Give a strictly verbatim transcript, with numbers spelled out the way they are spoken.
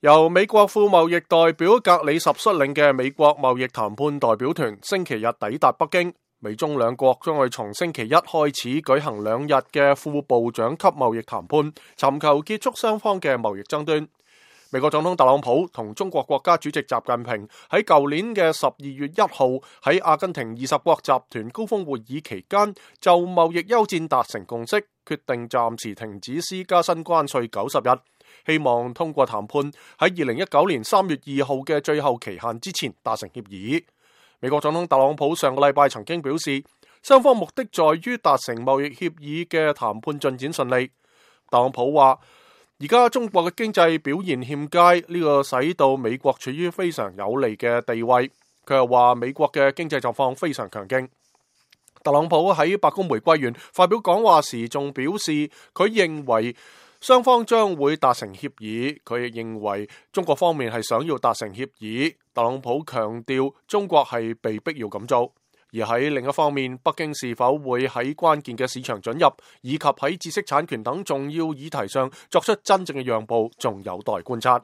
由美國副貿易代表格里什率領嘅美國貿易談判代表團星期日抵達北京，美中兩國將會從星期一開始舉行兩日嘅副部長級貿易談判，尋求結束雙方嘅貿易爭端。美國總統特朗普同中國國家主席習近平喺舊年嘅十二月一號喺阿根廷二十國集團高峰會議期間就貿易休戰達成共識，決定暫時停止施加新關稅九十日，希望通過談判喺二零一九年三月二號嘅最後期限之前達成協議。美國總統特朗普上個禮拜曾經表示，雙方目的在於達成貿易協議嘅談判進展順利。特朗普話，而家中國嘅經濟表現欠佳，呢個使到美國處於非常有利嘅地位。佢又話美國嘅經濟狀況非常強勁。特朗普喺白宮玫瑰園發表講話時仲表示，佢認為雙方將會達成協議，佢亦認為中國方面係想要達成協議。特朗普強調中國係被逼要咁做。而喺另一方面，北京是否會喺關鍵嘅市場准入，以及喺知識產權等重要議題上作出真正嘅讓步，仲有待觀察。